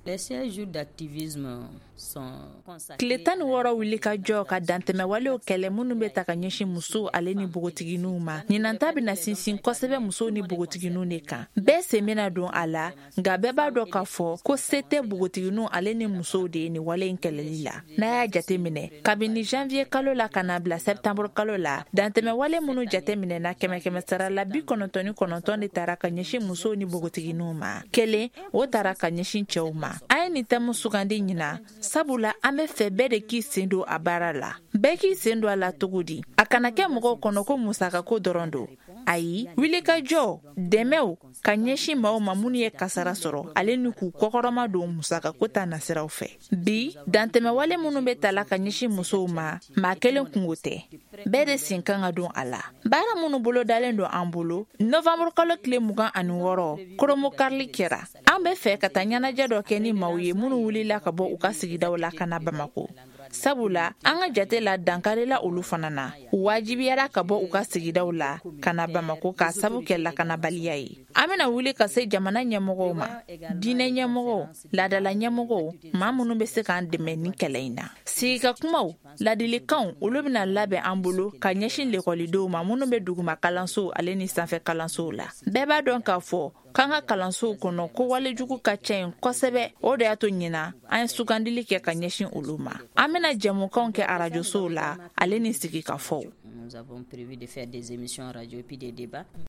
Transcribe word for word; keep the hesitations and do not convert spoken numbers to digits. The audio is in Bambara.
Les seize jours d'activisme sont consacrés Tile tan ni wɔɔrɔ wuli ka jɔ ka dantɛmɛwalew kɛlɛ minnu bɛ ta ka ɲɛsin musow ale ni npogotigininw ma, ɲinan ta bɛna sinsin kosɛbɛ musow ni npogotigininw de kan. Bɛɛ sen bɛna don a la, nka bɛɛ b'a dɔn k'a fɔ ko se tɛ npogotigininw ale ni musow de ye nin wale in kɛlɛli la. N'a y'a jateminɛ, kabini janvier kalo la ka na bila septembre kalo la, dantɛmɛwale minnu jateminɛna, kɛmɛ kɛmɛ sara la, bi kɔnɔntɔn ni kɔnɔntɔn de taara ka ɲɛsin musow ni npogotigininw ma, kelen o taara ka ɲɛsin cɛw ma. An ye nin thème sugandi ɲinan sabula an bɛ fɛ bɛɛ de k'i sen don a baara la. Bɛɛ k'i sen don a la cogo di? A kana kɛ mɔgɔw kɔnɔ ko musakako dɔrɔn don. Ayi, wulikajɔ, dɛmɛw ka ɲɛsin maaw ma minnu ye kasara sɔrɔ ale ni k'u kɔkɔrɔma don musakako ta nasiraw fɛ. Bi, dantɛmɛwale minnu bɛ tala ka ɲɛsin musow ma, maa kelen kungo tɛ, bɛɛ de sen kan ka don a la. Baara minnu bolodalen don an bolo, novembre kalo tile mugan ani wɔɔrɔ, koromokarili kɛra. An bɛ fɛ ka taa ɲɛnajɛ dɔ kɛ ni maaw ye minnu wulila ka bɔ u ka sigidaw la ka na Bamako, sabula an ka jate la, dankarila olu fana na. U wajibiyara ka bɔ u ka sigidaw la ka na Bamako k'a sabu kɛ lakanabaliya ye. An bena wuli ka se jamana ɲɛmɔgɔw ma, diinɛ ɲɛmɔgɔw, laadala ɲɛmɔgɔw, maa minnu be se k'an dɛmɛ ni kɛlɛ in na. Sigika kumaw, ladilikanw, olu bena labɛn an bolo ka ɲɛsin lekɔlidenw ma minnu be duguma kalansow ale ni sanfɛ kalansow la. Bɛɛ b'a dɔn k'a fɔ k'an ka kalansow kɔnɔ, ko walejugu ka ca yen kosɛbɛ. O de y'a to ɲina an ye sugandili kɛ ka ɲɛsin olu ma. An bena jɛmukanw kɛ arajosow la ale ni sigikafɔw. Nous avons prévu de faire des émissions radio et puis des débats.